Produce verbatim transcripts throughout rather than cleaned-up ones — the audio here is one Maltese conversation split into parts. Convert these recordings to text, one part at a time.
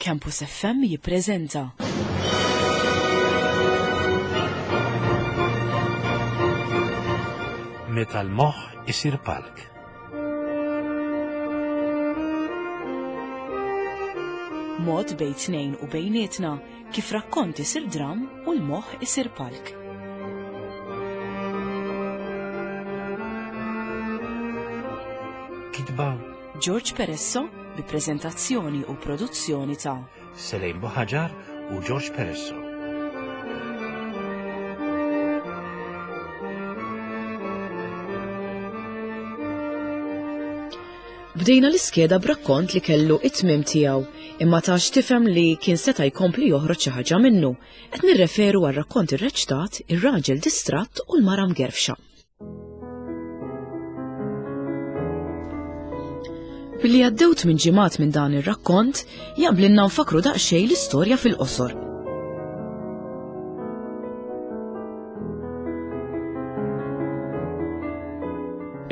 Campus F M jippreżenta Meta l-moħħ isir palk. Mod bejn tnejn u bejnietna kif rakkont isir dram u l-moħħ isir palk. Kitba George Peresso bi preżentazzjoni u produzzjoni ta' Selejn Buħaġar u George Peresso. Bdejna l-iskeda b'rakkont li kellu it-tmiem tiegħu, imma tax tifhem li kien seta' jkompli joħroġ xi ħaġa minnu. Qed nirreferu għal rakkont irreċtat Ir-Raġel Distratt u l-Mara Mgerfxa. Billi għaddew tmien ġimgħat minn dan ir-rakkont, jaqblinna nfakru daqsxejn l-istorja fil-qosor.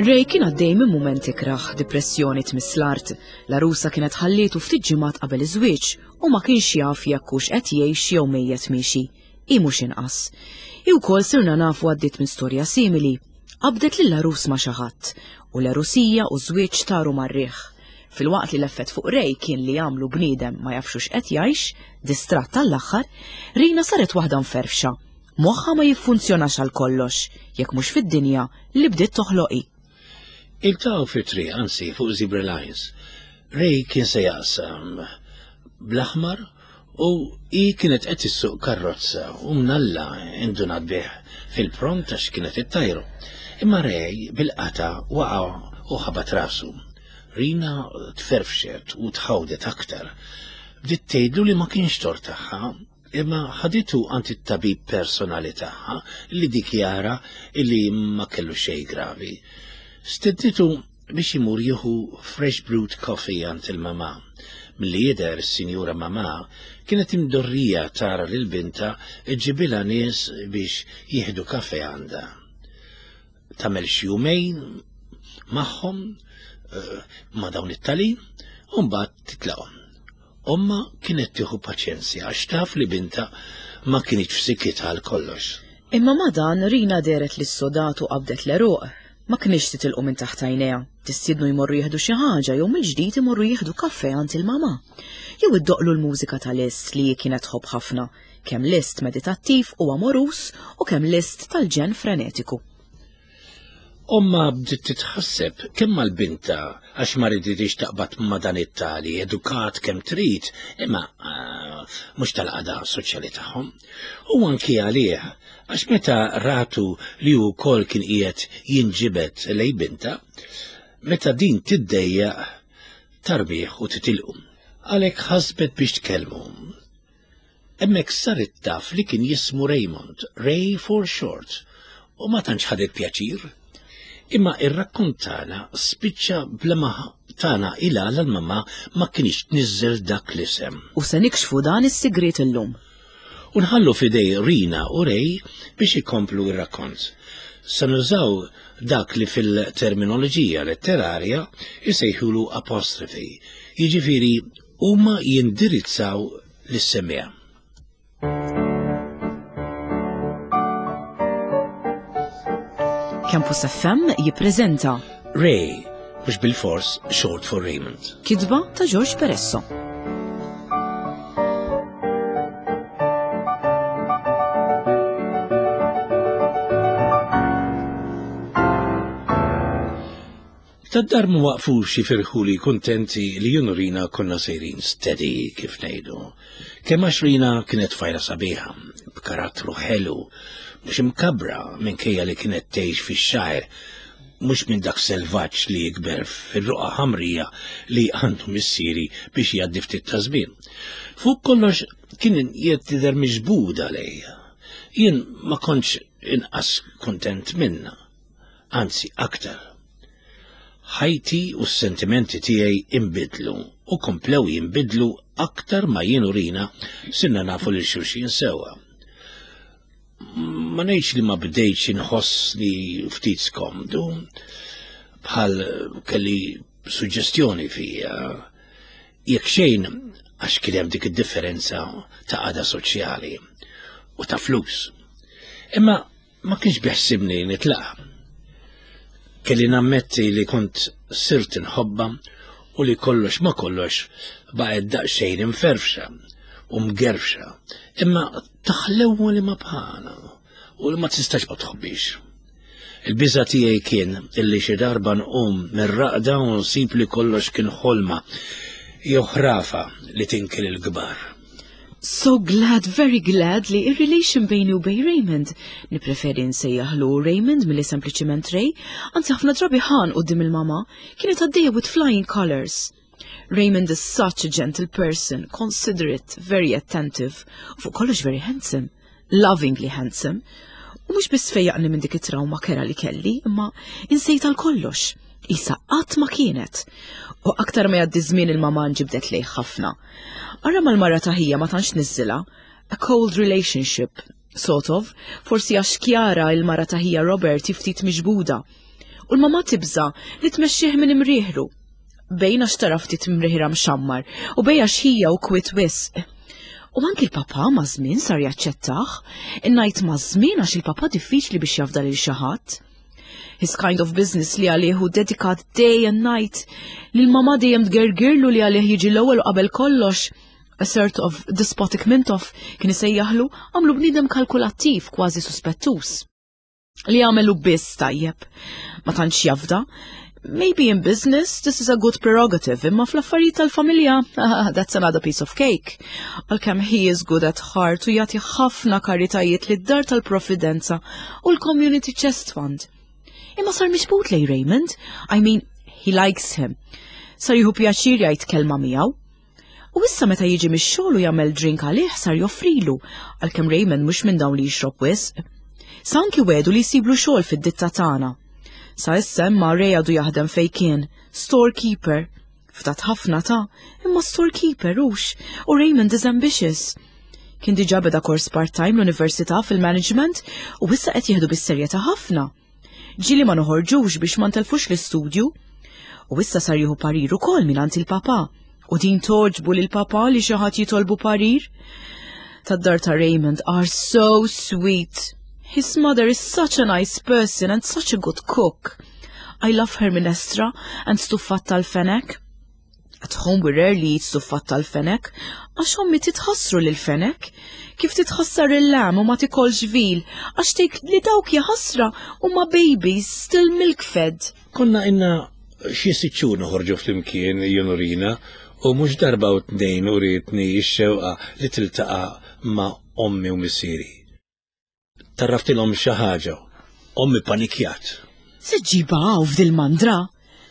Ray kien għaddej minn mument ikrah, depressjoni tmiss l-art. L-għarusa kienet ħallietu ftit ġimgħat qabel iż-żwieġ u ma kienx jaf jekk hux qed jgħix jew mejjet miexi. Hi mhux inqas. Hi wkoll sirna nafu għaddiet minn storja simili. Qabdet lill-għarus ma' xi ħadd u l-għarusija u ż-żwieġ taru mar-riħ. Filwaqt li l-effett fuq Ray kien li jagħmlu bniedem ma jafx hux qed jgħix, distratt tal-aħħar, Rina saret waħda mferfxa. Moħħha ma jiffunzjonax għal kollox, jekk mhux fid-dinja li bdiet toħloqi. Iltaqgħu fit-triq, anzi fuq Zebra Lines. Ray kien se jaqsam bl-aħmar u hi kienet qed issuq karrozza u mnalla indunat bih fil-pront għax kienet ittajru. Imma Ray bil-qata waqa' u ħabat rasu. Rina tferfxet u tħawdet aktar. Bdiet tgħidlu li ma kienx tort tagħha, imma ħaditu għand it-tabib personali tagħha li dikjara li ma kellu xejn gravi. Stednitu biex imur jieħu fresh brewed coffee għand il-mama. Milli jidher is-sinjura mama kienet imdorrija tara lil bintha ġġibilha nies biex jieħdu kafe għandha. Tagħmel xi jumejn magħhom eh, ma' dawn it-talin u mbagħad titlaqhom. Omma kienet tieħu paċenzja għax taf li bintha ma kinitx f'sikkitha għal kollox. Imma ma dan Rina deret li s-sodatu qabdet l-eruq. Ma kienx titilqu minn taħt għajnejha, tistiednu jmorru jieħdu xi ħaġa jew mill-ġdid imorru jieħdu kafè għand il-mama. Jew iddoqlu l-mużika ta' Liszt li kienet tħobb ħafna, kemm Liszt meditattiv u amorus u kemm Liszt tal-ġen frenetiku. Omma bdiet titħasseb kemm mal-binta għax ma riditx taqbad ma' dan it-tali, edukat kemm trid, imma eh, mhux tal-qagħda soċjali tagħhom. U anki għalih, għax meta ratu li hu wkoll kien qiegħed jinġibed lej binta, meta din tiddejjaq tarbih u titilqu. Għalhekk ħasbet biex tkellmu. Hemmhekk saret taf li kien jismu Raymond, Ray for short, u ma tantx ħadet pjaċir. Imma ir-rakkont tagħna spiċċa bla ma tana ila l-mama ma kienx tniżżel dak l-isem. U se nikxfu dan is-sigriet illum. U nħallu f'idej Rina u Ray biex ikomplu ir-rakkont. Se nużaw dak li fil-terminoloġija letterarja jsejħulu apostrofi, jiġifieri huma jindirizzaw lis-semmiegħa. Campus F M jippreżenta Ray, mhux bilfors short for Raymond. Kitba ta' George Peresso. Tad-dar ma waqfux jifirħu li kuntenti li jien u Rina konna sejrin steady kif ngħidu. Kemm għax Rina kienet tfajla sabiħa, b'karattru ħelu, mhux imkabra minkejja li kienet tgħix fix-xgħir, mhux minn dak selvaġġ li jikber fir-ruqa ħamrija li għandu missieri biex jgħaddi ftit ta' żmien. Fuq kollox kien tidher miġbuda lejja. Jien ma kontx inqas kontent minna, anzi aktar. Ħajti u s-sentimenti tiegħi imbidlu u komplew jinbidlu aktar ma jien u Rina sirna nafu lil xulxin sewwa. Ma ngħidx li ma bdejtx inħossni ftit skomdu, bħal kelli suġġestjoni fija. Jekk xejn Għax kien hemm dik id-differenza ta' qagħda soċjali u ta' flus. Imma ma kienx biħsibni nitlaqa. Kelli nammetti li kont sirt nħobba u li kollox ma kollox baqgħet daqsxejn imferfxa u mgerfxa, imma taħlewwa li ma bħala u li ma tistax ma tħobbix. Il-biża tiegħi kien illi xi darba nqum mir-raqda u nsib li kollox kien ħolma jew ħrafa li tinkel il-kbar. So glad, very glad li ir-relation bejni u bejn Raymond. Nipreferi nsejjaħlu Raymond milli sempliċiment Ray, anzi ħafna drabi ħan quddiem il-mama, kienet għaddejja with flying colors. Raymond is such a gentle person, considerate, very attentive, u fuq kollox very handsome, lovingly handsome. U mhux biss fejjaqni minn dik it-trauma kerha li kelli, imma insejt għal kollox. Isa qatt ma kienet. U aktar ma jgħaddi żmien, il-mama nġibdet lejh ħafna. Ara mal-mara ta' ħija ma tantx niżżilha, a cold relationship, sort of, forsi għax Kjara, il-mara ta' ħija Robert, ftit miġbuda. U l-mama tibża li tmexxih minn imrieħru. Bejn għax tara ftit imrieħra mxammar u bejn għax ħija u kwit wisq. U anki l-papa ma' żmien sar jaċċettah, ngħid ma' żmien għax il-papa diffiċli biex jafda lil xi ħadd. His kind of business li għalih hu dedikat day and night, li l-mama dejjem tgergirlu li għalih jiġi l-ewwel u qabel kollox, a sort of despotic Mintoff kien isejjaħlu, għamlu bniedem kalkulattiv, kważi suspettus. Li għamelu biss tajjeb. Ma tantx jafda. Maybe in business this is a good prerogative, imma fl-affarijiet tal-familja, that's another piece of cake. Għalkemm he is good at heart u jagħti ħafna karitajiet lid-dar tal-Providenza u l-Community Chest Fund. Imma sar miġbud lejn Raymond, I mean, he likes him. Sar jieħu pjaċir jgħid kelma miegħu. U issa meta jiġi mix-xogħol u jagħmel drink għalih, sar joffrilu, għalkemm Raymond mhux minn dawn li jixrob wisq. Sa anki wegħdu li jsiblu xogħol fid-ditta tagħna. Sa issa imma Ray għadu jaħdem fej kien, storekeeper. Ftat ħafna ta', imma storekeeper hux, u Raymond is ambitious. Kien diġà beda kors part-time l-università fil-management u issa qed jieħdu bis-serjetà ħafna. Ġieli ma noħorġux biex ma ntelfux l-istudju. U issa sar jieħu parir ukoll mingħand il-papa. U din togħġbu lil papa li xi ħadd jitolbu parir. Tad-dar ta' Raymond are so sweet. His mother is such a nice person and such a good cook. I love her minestra and stuffat tal-fenek. At home we rarely eat stuffat tal-fenek, għax ommi titħassru lil fenek. Kif titħassar il-lamb u ma tikolx veal, għax tgħid li dawk jaħasra huma babies still milk-fed. Konna ilna xi sitt xhur noħorġu flimkien jien u Rina u mhux darba u tnejn urietni x-xewqa li tiltaqa' ma' ommi u missieri. Tarraftilhom xi ħaġa. Ommi panikjat. Se ġġibha hawn f'dil-mandra?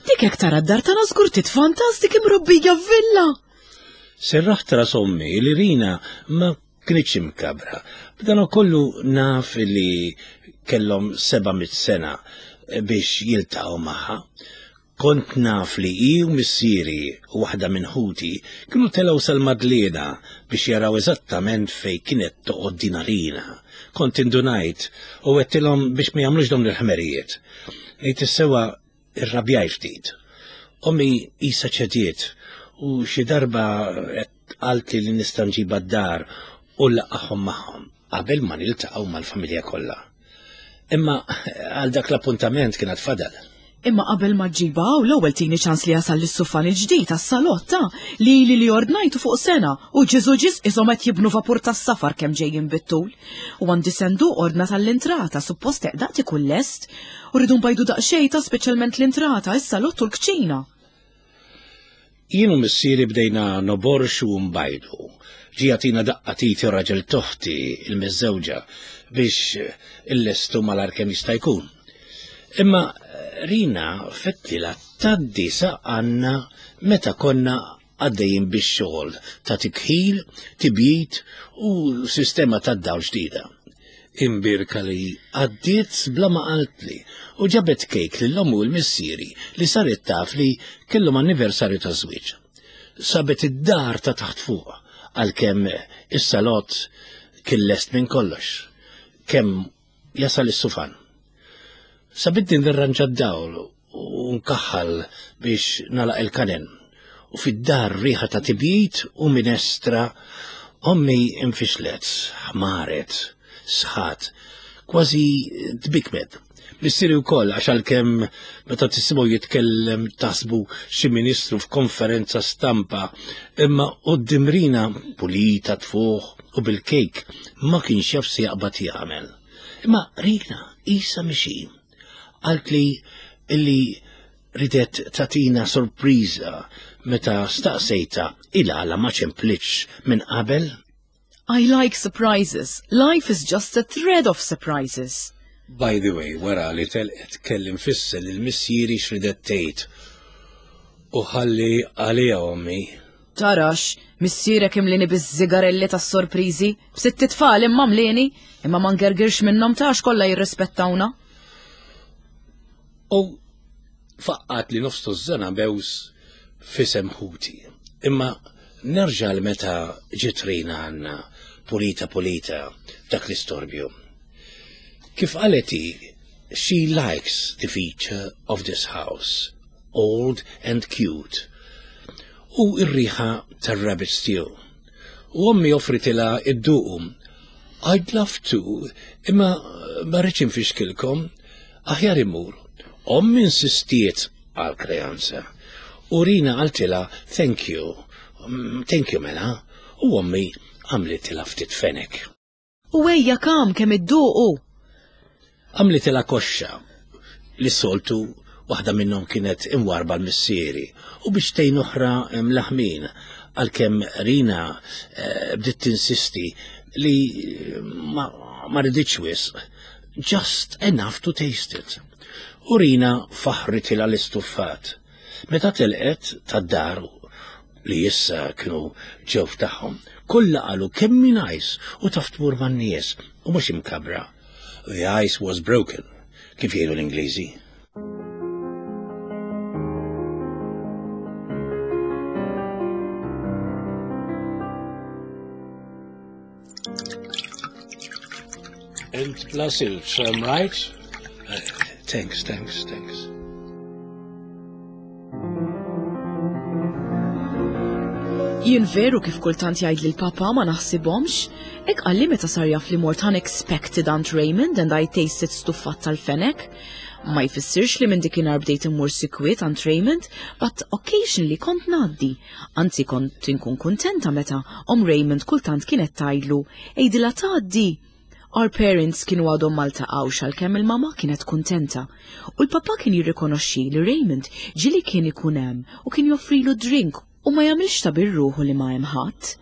Dik hekk tara d-dar tagħna żgur titfantas, dik imrobbija villa. Serraħt ras ommi li Rina ma kinitx imkabra. B'dan kollu naf li kellhom seba' mit sena biex jiltaqgħu magħha. Kont naf li hi u missieri u waħda minn ħuti kienu telgħu sal-Madliena biex jaraw eżattament fej kienet toqgħod din Rina. Kont indunajt u għedtilhom biex ma jagħmlux dawn il-ħmerijiet. Ngħid is-sewwa, irrabjaj ftit. Ommi isa ċediet u xi darba qaltli li nista' nġibha d-dar u nlaqqagħhom magħhom qabel ma niltaqgħu mal-familja kollha. Imma għal dak l-appuntament kienet fadal. Imma qabel ma ġġibha hawn, l-ewwel tini ċans li jasal l-sufan il-ġdid għas-salotta li li li ordnajtu fuq sena u ġiżu ġiż isom qed jibnu vapur tas-safar kemm ġejjin bit-tul. U għandi senduq ordna tal-intrata, suppost eqdaqt ikun lest, u rridu nbajdu daqsxejn ta', speċjalment l-intrata, is-salott u l-kċina. Jien u missieri bdejna noborxu u nbajdu. Ġie jagħtina daqqa t'id ir-raġel t'oħti il-miżżewġa biex illestu malajr kemm jista' jkun. Imma Rina fettilha tgħaddi sa għandna meta konna għaddejjin bix-xogħol ta' tikħil, tibjid u sistema ta' dawl ġdida. Imbirka li għaddiet bla ma qaltli u ġabet kejk lil ommi u l-missieri li saret taf li kellhom anniversarju ta' żwieġ. Sabet id-dar ta' taħt fuq, għalkemm is-salott kien lest minn kollox. Kemm jasal is-sufan. Sabitni nirranġa d-dawl u nkaħħal biex nagħlaq il-kanen. U fid-dar riħa ta' tibjid u minestra. Ommi infixlet, ħmaret, sħat, kważi tbikmet. Missieri wkoll, għax għalkemm meta tisimgħu jitkellem taħsbu xi ministru f'konferenza stampa, imma quddiem Rina pulita tfuħ u bil-kejk ma kienx jaf se jaqbad jagħmel. Imma Rina isa mixi. Qalt li illi ridet tagħtina sorpriża meta staqsejta il-għala ma ċemplitx minn qabel. I like surprises. Life is just a thread of surprises. By the way, wara li telqet kelli nfisser lil missieri x'ridet tgħid. U ħalli għalija ommi. Tarax, missierek imlini biż-żigarelli tas-sorpriżi, b'sitt tfal imma mlini, imma ma ngergirx minnhom tax kollha jirrispettawna. U faqqat li nofs tużżana bews f'isem ħuti. Imma nerġa' l meta ġiet Rina għandna pulita pulita dak l-istorbju. Kif qalet hi, she likes the feature of this house, old and cute. U ir-riħa tar-rabbit stew. U ommi offritilha idduqu. I'd love to, imma ma rridx infixkilkom, aħjar immur. Ommi insistiet għal kreanza. U Rina qaltilha thank you, mm, thank you mela, u ommi għamlitilha ftit fenek. U ejja kam kemm idduqu. Għamlitilha koxxa li soltu waħda minnhom kienet imwarba l-missieri u biċċtejn oħra mlaħmin, għalkemm Rina eh, bdiet tinsisti li ma, ma riditx wisq, just enough to taste it. U Rina faħritilha l-istuffat. Meta telqet tad-dar li issa kienu ġew tagħhom, kollha qalu kemm hi nice u taf tmur man-nies u mhux imkabra. The ice was broken, kif jgħidu l-Ingliżi. And plus it's, um, right? Uh, thanks, thanks, thanks. Jien veru kif kultant jgħid li l-papa ma naħsibhomx, hekk qalli meta sar jaf li mort unexpected Aunt Raymond and I tasted stuffat tal-fenek. Ma jfissirx li minn dikinhar bdejt immur sikwit Aunt Raymond, but occasionally kont ngħaddi. Anzi, kont inkun kuntenta meta om Raymond kultant kienet tgħidlu, "Għidilha tgħaddi." Our parents kienu għadhom ma ltaqgħux, għalkemm il-mama kienet kuntenta. U l-papa kien jirrikonoxxi li Raymond ġieli kien ikun hemm u kien joffrilu drink u ma jagħmilx ta' birruħu li ma hemm ħadd.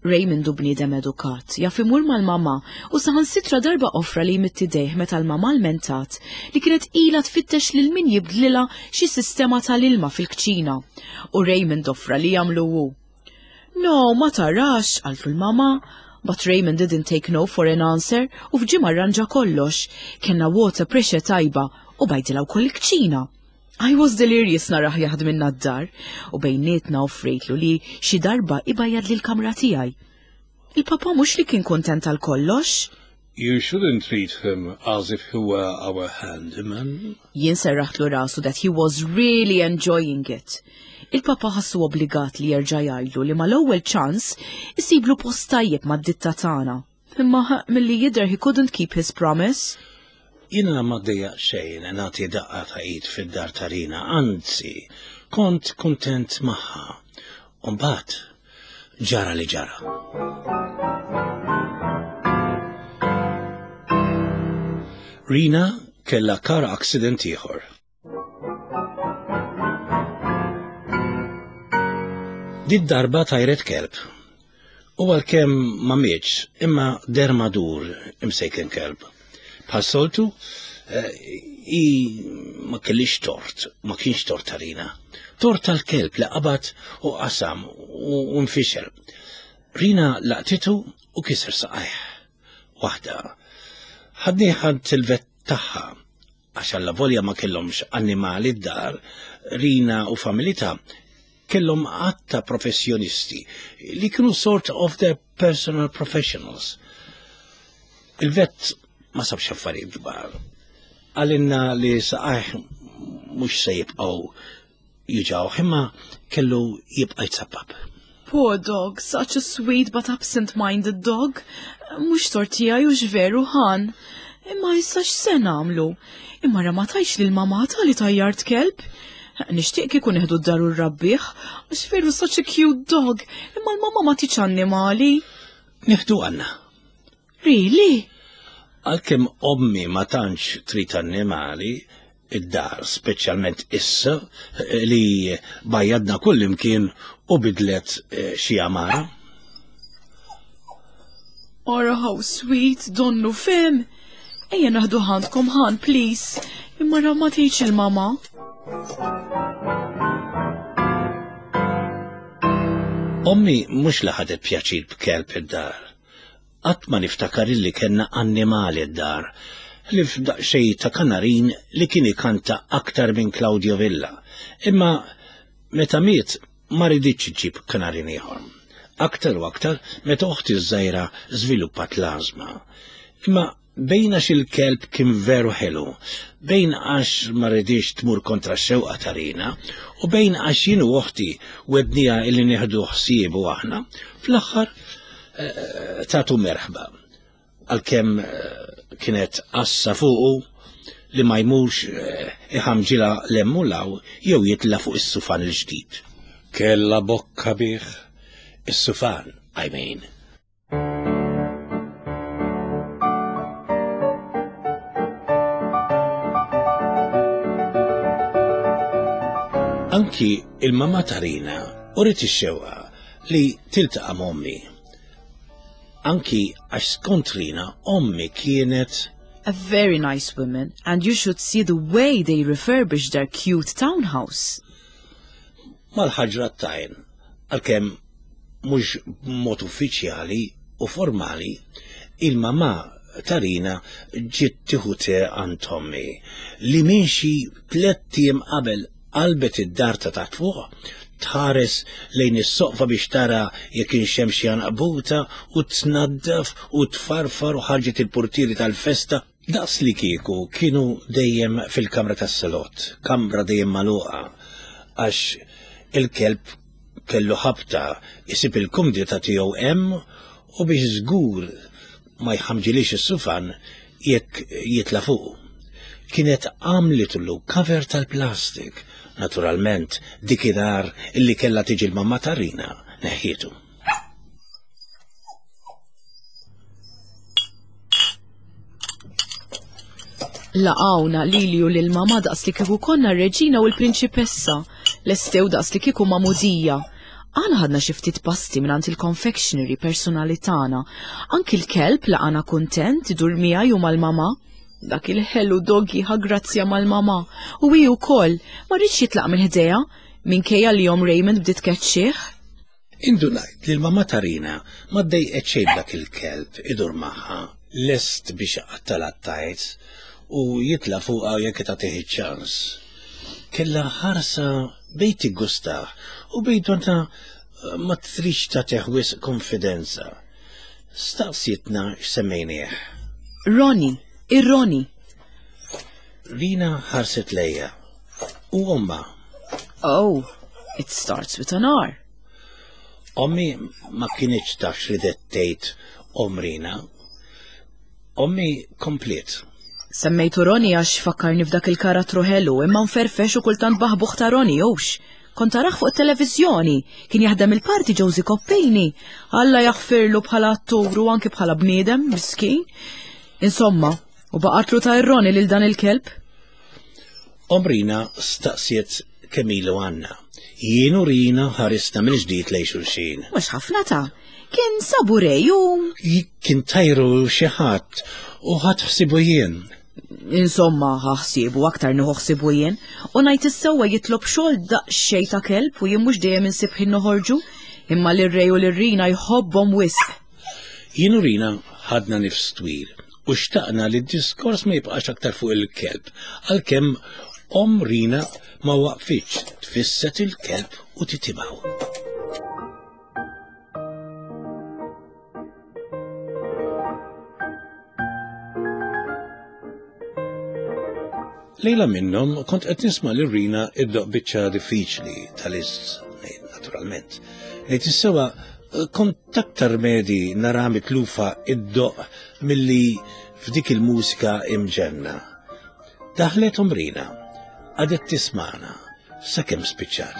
Raymond hu bniedem edukat, jaf imur mal-mama u saħansitra darba offra li jmidd idejh meta l-mama lmentat li kienet ila tfittex lil min jibdlilha xi sistema tal-ilma fil-kċina. U Raymond offra li jagħmlu hu. "No, ma tarax," qaltlu l-mama. But Raymond didn't take no for an answer u f'ġimgħa rranġa kollox. Kellna water pressure tajba u bajdilha wkoll il-kċina. I was delirious narah jaħdmilna d-dar u bejnietna offrejtlu li xi darba ibajjad li l-kamra tiegħi. Il-papa mhux li kien kontent għal kollox. You shouldn't treat him as if he were our handyman. Jien serraħtlu rasu that he was really enjoying it. Il-papa ħassu obbligat li jerġa' jgħidlu li mal-ewwel ċans isiblu post tajjeb mad-ditta tagħna. Imma milli jidher he couldn't keep his promise. Jiena ma ddejjaqt xejn nagħti daqqa ta' id fid-dar ta' Rina, anzi, kont kontent magħha. Umbagħad ġara li ġara. Rina kella car accident ieħor. Did darba tajret kelb. U għalkemm ma mietx, imma deher magħdur imsejken kelb. Bħas-soltu, eh, i ma kellix tort, ma kienx tort ta' Rina. Tort tal-kelb li qabad u qasam u nfixel. Rina laqtitu u kiser saqajh. Waħda. Ħadnieh għand il-vet tagħha, għax allavolja ma kellhomx annimali d-dar, Rina u familitha kellhom għadd ta' professjonisti li kienu sort of their personal professionals. Il-vet ma sabx affarijiet kbar. Qalilna li saqajh mhux se jibqgħu juġawh imma kellu jibqa' jitsappap. Poor dog, such a sweet but absent-minded dog. Mhux tort tiegħi u veru ħan. Imma issa x'se nagħmlu? Imma ra ma tgħidx lil mamà ta li tajjart kelb. Nixtieq kieku nieħdu d-dar u rrabbih, għax veru such a cute dog, imma l-mamma ma tridx annimali. Nieħdu għandna. Really? Għalkemm ommi ma tantx trid annimali, id-dar, speċjalment issa li bajjadna kull imkien u bidlet eh, xi għamara. Ora how sweet, donnu fehem. Ejja nieħdu għandkom ħan, please. Imma ra ma tgħidx il-mama. Ommi mhux li ħadet pjaċir b'kelb id-dar. Qatt ma niftakar illi kellna annimali d-dar, li f'daqsxejn ta' kanarin li kien ikanta aktar minn Claudio Villa. Imma meta miet ma riditx iġib kanarin ieħor. Aktar u aktar meta oħti żgħira żviluppat l-ażma. Imma bejn għax il-kelb kien veru ħelu, bejn għax ma ridix tmur kontra x-xewqa ta' Rina, u bejn għax jien u oħti wegħednieha illi nieħdu ħsiebu aħna, fl-aħħar eh, tatu merħba. Għalkemm eh, kienet għassa fuqu li ma jmurx eh, iħamġila l-emmulaw jew jitla fuq is-sufan il-ġdid. Kella bokka bih is-sufan, I mean. Anki il-mama ta' Rina uriet ix-xewqa li tiltaqa' m'ommi. Anki għax skont Rina ommi kienet A very nice woman, and you should see the way they refurbished their cute townhouse. Mal-ħaġra tajn, għalkemm mhux b'mod uffiċjali u formali, il-mama ta' Rina ġiet tieħu te għand ommi li minn xi tlett ijiem qabel qalbet id-dar ta' taħt fuq, tħares lejn is-soqfa biex tara jekk kienx hemm xi għanqbuta u tnaddaf u tfarfar u ħarġet il-portieri tal-festa daqs li kieku kienu dejjem fil-kamra tas-salott, kamra dejjem magħluqa għax il-kelb kellu ħabta isib il-kumdita tiegħu hemm u biex żgur ma jħamġilix is-sufan jekk jitla fuq. Kienet għamlitlu cover tal-plastik, naturalment dikinhar illi kella tiġi l-mamma ta' Rina neħħietu. Laqawna lili u lil mama daqs li kieku konna r-reġina u l-prinċipessa, lestew daqs li kieku magħmudija. Aħna ħadna xi ftit pasti mingħand il-confectionery personali tagħna. Anki l-kelb laqana kuntent idur miegħi u mal-mama. Dak il-ħelu doggy ħa grazzja mal-mama. U hi wkoll ma riedx jitlaq minn ħdejha minkejja li omm Raymond bdiet tkeċċih. Indunajt li l-mama ta' Rina ma ddejqet xejn dak il-kelb idur magħha, lest biex iqattalha t-tajt u jitla fuqha jekk tagħtih iċ-ċans. Kella ħarsa bejn tiggustah u bejn donnha ma tridx tagħtih wisq konfidenza. Staqsietna x'semmejnieh. Ronnie, ir-Ronnie. Rina ħarset lejja u omma. Oh, it starts with an R. Ommi ma kinitx taf x'ridet tgħid omm Rina. Ommi kompliet. Semmejtu Ronnie għax fakkarni f'dak il-karattru ħelu imma nferfex u kultant baħbuħ ta' Ronnie hux. Kont tarah fuq it-televiżjoni, kien jaħdem il-parti Josie Koppini. Alla jaħfirlu bħala attur u anki bħala bniedem, miskin. Insomma, u baqatlu ta' ir-Ronnie lil dan il-kelb. Omm Rina staqsiet kemm ilu għandna. Jien u Rina ħarisna mill-ġdid lejn xulxin. Mhux ħafna ta' kien sabu Ray u Kien tajru xi ħadd u ħadd ħsibu jien. Insomma, ħsibu aktar nieħu ħsibu jien, u ngħid is-sewwa jitlob xogħol daqsxejn ta' kelb u jien mhux dejjem insib ħin noħorġu, imma lir-Ray u lir-Rina jħobbhom wisq. Jien u Rina ħadna nifs twil u xtaqna li d-diskors ma jibqax aktar fuq il-kelb, għalkemm omm Rina ma waqfitx tfisset il-kelb u titimgħu. Lejla minnhom kont qed nisma' lil Rina iddoqq biċċa diffiċli tal-Liszt, naturalment. Ngħid is-sewwa kont aktar medhi nara mitlufa iddoqq milli f'dik il-mużika imġenna. Daħlet omm Rina, qagħdet tismagħna, sakemm spiċċat.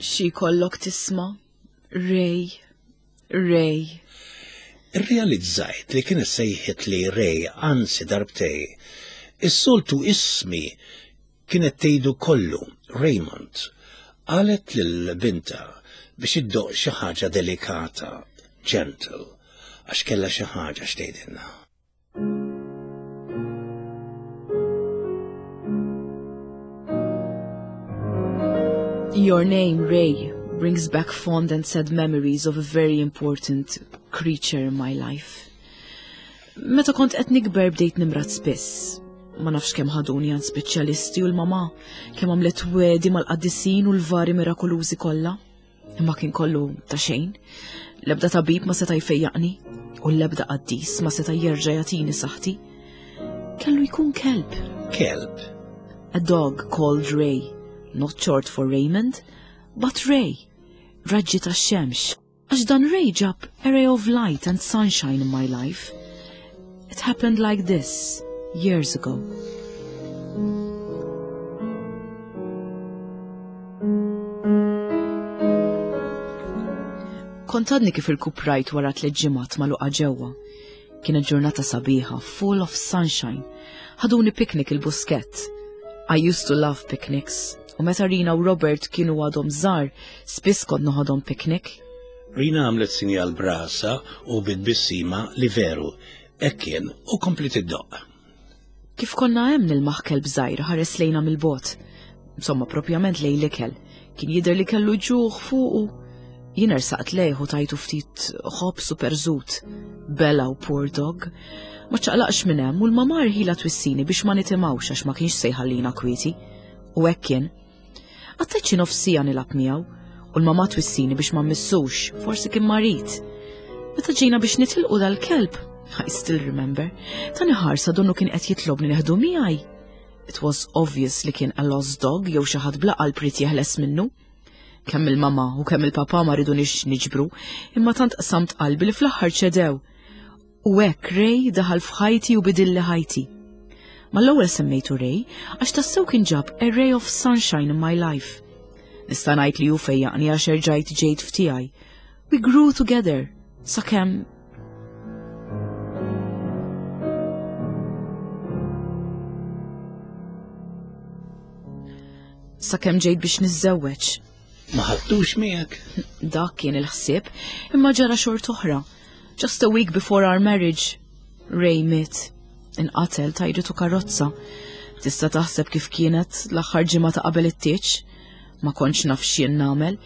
Xi jkollok tisma'? Ray, Ray. Irrealizzajt li kienet sejħitli Ray anzi darbtejn. Is-soltu ismi kienet tgħidu kollu, Raymond. Qalet lil bintha biex iddoqq xi ħaġa delikata, gentle, għax kellha xi ħaġa x'tgħidilna. Your name, Ray, brings back fond and sad memories of a very important creature in my life. Meta kont qed nikber bdejt nimrad spiss. Ma nafx kemm ħaduni għand speċjalisti u l-mama, kemm għamlet wegħdi mal-qaddisin u l-vari mirakolużi kollha. Imma kien kollu ta' xejn. L-ebda tabib ma seta' jfejjaqni u l-ebda qaddis ma seta' jerġa' jagħtini saħħti. Kellu jkun kelb. Kelb? A dog called Ray. Not short for Raymond, but Ray. Raġġi tax-xemx. Għax dan Ray ġab a ray of light and sunshine in my life. It happened like this, years ago. Kont għadni kif irkuprajt wara tliet ġimgħat magħluqa ġewwa. Kienet ġurnata sabiħa, full of sunshine. Ħaduni picnic il-Buskett. I used to love picnics. U meta Rina u Robert kienu għadhom żgħar, spiss kont noħodhom picnic. Rina għamlet sinjal b'rasha u bit-tbissima li veru, hekk kien u kompliet iddoqq. Kif konna hemm nilmaħ kelb żgħir ħares lejna mill-bogħod. Insomma, propjament lejn l-ikel. Kien jidher li kellu ġuħ fuqu. Jien ersaqt lejh u tajtu ftit ħobż u perżut. Bella u poor dog. Ma ċaqlaqx minn hemm u l-mama rħila twissini biex ma nitimgħux għax ma kienx se jħallina kwieti. U hekk kien. Qattajt xi nofs siegħa nilgħab miegħu u l-mama twissini biex ma mmissux, forsi kien marid. Meta ġejna biex nitilqu dal-kelb, I still remember, tani ħarsa donnu kien qed jitlobni neħdu miegħi. It was obvious li kien a lost dog jew xi ħadd bla qalb ried jeħles minnu. Kemm il-mama u kemm il-papa ma ridunix niġbru, imma tant qsamt qalbi li fl-aħħar ċedew. U hekk Ray daħal f'ħajti u bidilli ħajti. Mal-ewwel semmejtu Ray għax tassew kien ġab a ray of sunshine in my life. Nista' ngħid li hu fejjaqni għax erġajt ġejt f'tiegħi. We grew together, sakemm sakemm ġejt biex niżżewweġ. Ma ħadtux miegħek? Dak kien il-ħsieb, imma ġara xort oħra. Just a week before our marriage, Ray miet. Inqatel tajritu karozza. Tista' taħseb kif kienet l-aħħar ġimgħa ta' qabel it-tieġ? Ma kontx naf x'jien nagħmel.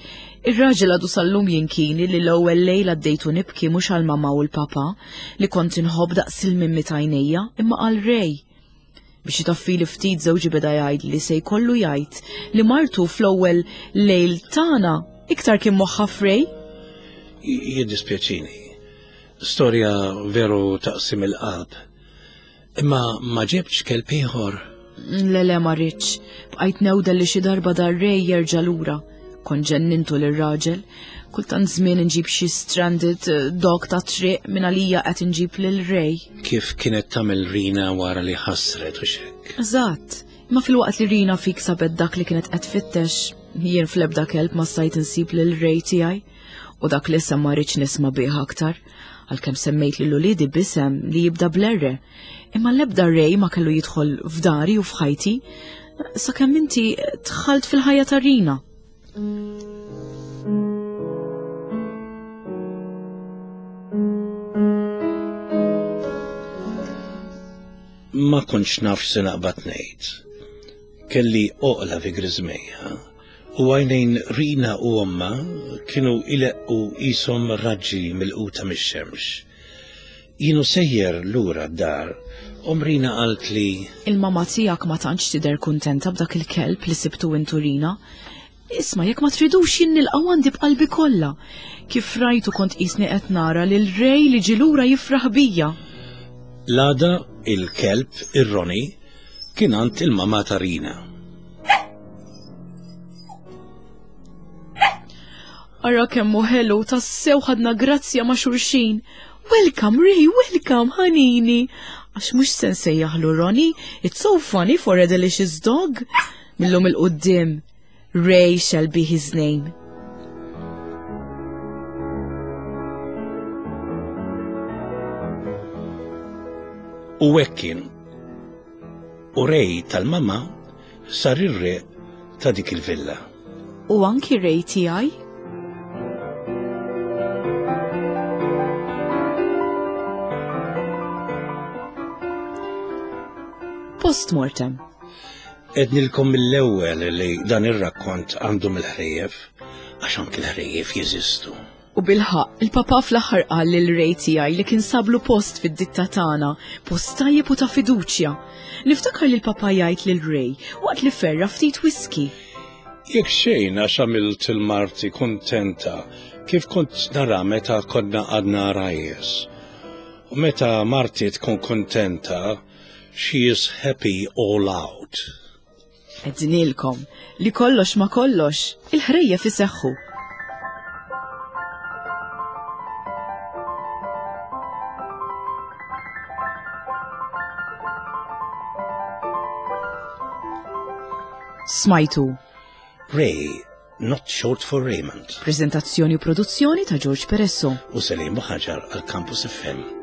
Ir-raġel għadu sal-lum jinkini li l-ewwel lejl għaddejtu nibki mhux għal mama u l-papa li kont inħobb daqs il-mimmi t'għajnejja, imma għal Ray. Biex itaffili ftit żewġi beda jgħid li se jkollu jgħid li martu fl-ewwel lejl tagħna iktar kien moħħha f'Ray. Jiddispjaċini. Storja veru taqsim il-qalb. Imma ma ġibtx kelb ieħor. Le le ma rridx. Bqajt newda li xi darba dar Ray jerġa' lura. Kont ġennintu lir-raġel. Kultant żmien inġib xi stranded eh, dog ta' triq minn għalija qed inġib lil Ray. Kif kienet tagħmel Rina wara li ħassret u xek. Eżatt. Imma filwaqt li Rina fik sabet dak li kienet qed tfittex, jien fl-ebda kelb ma stajt insib lil Ray tiegħi. U dak li isem ma rridx nisma' bih aktar. Għalkemm semmejt lil uliedi b'isem li jibda bl-R. Imma l-ebda Ray ma kellu jidħol f'dari u f'ħajti sakemm inti dħalt fil-ħajja ta' Rina. Ma kontx naf x'se naqbad ngħid. Kelli oqla fi griżmejja u għajnejn Rina u omma kienu ileqqu qishom raġġi milquta mix-xemx. Jien u sejjer lura d-dar, omm Rina qalt li Il-mama tiegħek ma tantx tidher kuntenta b'dak il-kelb li sibtu intu Rina. Isma' jekk ma tridux jien nilqgħu għandi b'qalbi kollha. Kif rajtu kont qisni qed nara lil Ray li ġie lura jifraħ bija. L-għada il-kelb, ir-Roni, kien għand il-mama ta' Rina. Ara kemm hu ħelu, tassew ħadna grazzja ma' xulxin. Welcome, Ray, welcome, ħanini. Għax mhux se nsejjaħlu Ronnie, it's so funny for a delicious dog. Millum 'il quddiem, Ray shall be his name. U hekk kien. U Ray tal-mama sar ir-re ta' dik il-villa. U anki Ray tiegħi? Postmortem. Għednilkom mill-ewwel li dan ir-rakkont għandu mill-ħrejjef, għax anki l-ħrejjef jeżistu. U bilħaqq, il-papa fl-aħħar qal lil Ray tiegħi li kien sablu post fid-ditta tagħna, post tajjeb u ta' fiduċja. Niftakar li l-papa jgħid lil Ray waqt li ferra ftit whisky. Jekk xejn għax għamilt il-marti kontenta kif kont nara meta konna għadna għarajjes. U meta marti tkun kontenta, she is happy all out. Għednilkom li kollox ma kollox, il-ħrejjef iseħħu. Smajtu. Ray, not short for Raymond. Prezentazzjoni u produzzjoni ta' George Peresso. U Selim Buħaġar għal Campus F M.